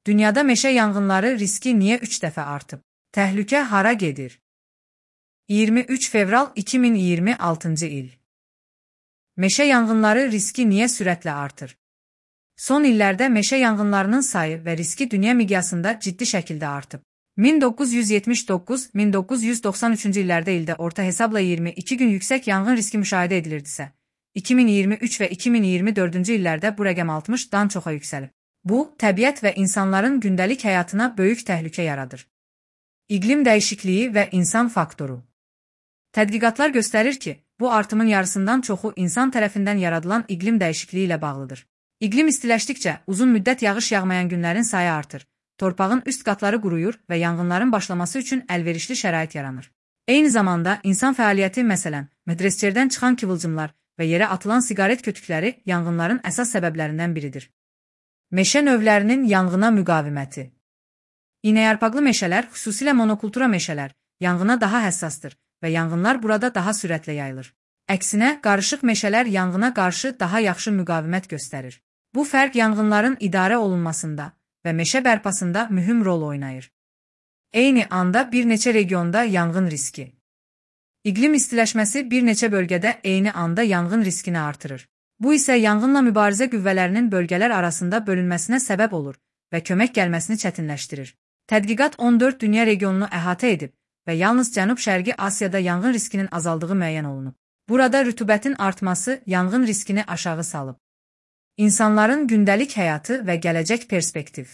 Dünyada meşə yanğınları riski niyə 3 dəfə artıb? Təhlükə hara gedir? 23 fevral 2026-cı il. Meşə yanğınları riski niyə sürətlə artır? Son illərdə meşə yanğınlarının sayı və riski dünya miqyasında ciddi şəkildə artıb. 1979-1993-cü illərdə orta hesabla 22 gün yüksək yanğın riski müşahidə edilirdisə, 2023 və 2024-cü illərdə bu rəqəm 60-dan çoxa yüksəlib. Bu, təbiət və insanların gündəlik həyatına böyük təhlükə yaradır. İqlim dəyişikliyi və insan faktoru. Tədqiqatlar göstərir ki, bu artımın yarısından çoxu insan tərəfindən yaradılan iqlim dəyişikliyi ilə bağlıdır. İqlim istiləşdikcə uzun müddət yağış yağmayan günlərin sayı artır, torpağın üst qatları quruyur və yanğınların başlaması üçün əlverişli şərait yaranır. Eyni zamanda insan fəaliyyəti, məsələn, medresçerdən çıxan kıvılcımlar və yerə atılan siqaret kötükləri yanğınların əsas səbəblərindən biridir. Meşə növlərinin yanğına müqaviməti. İynəyarpaqlı meşələr, xüsusilə monokultura meşələr, yanğına daha həssasdır və yanğınlar burada daha sürətlə yayılır. Əksinə, qarışıq meşələr yanğına qarşı daha yaxşı müqavimət göstərir. Bu fərq yanğınların idarə olunmasında və meşə bərpasında mühüm rol oynayır. Eyni anda bir neçə regionda yanğın riski. İqlim istiləşməsi bir neçə bölgədə eyni anda yanğın riskini artırır. Bu isə yanğınla mübarizə qüvvələrinin bölgələr arasında bölünməsinə səbəb olur və kömək gəlməsini çətinləşdirir. Tədqiqat 14 dünya regionunu əhatə edib və yalnız Cənub-Şərqi Asiyada yanğın riskinin azaldığı müəyyən olunub. Burada rütubətin artması yanğın riskini aşağı salıb. İnsanların gündəlik həyatı və gələcək perspektiv.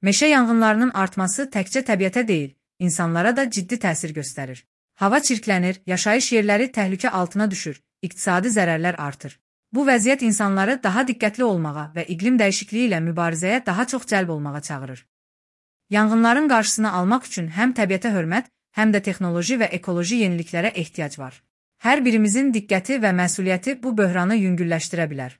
Meşə yanğınlarının artması təkcə təbiətə deyil, insanlara da ciddi təsir göstərir. Hava çirklənir, yaşayış yerləri təhlükə altına düşür, iqtisadi zərərlər artır. Bu vəziyyət insanları daha diqqətli olmağa və iqlim dəyişikliyi ilə mübarizəyə daha çox cəlb olmağa çağırır. Yanğınların qarşısını almaq üçün həm təbiətə hörmət, həm də texnoloji və ekoloji yeniliklərə ehtiyac var. Hər birimizin diqqəti və məsuliyyəti bu böhranı yüngülləşdirə bilər.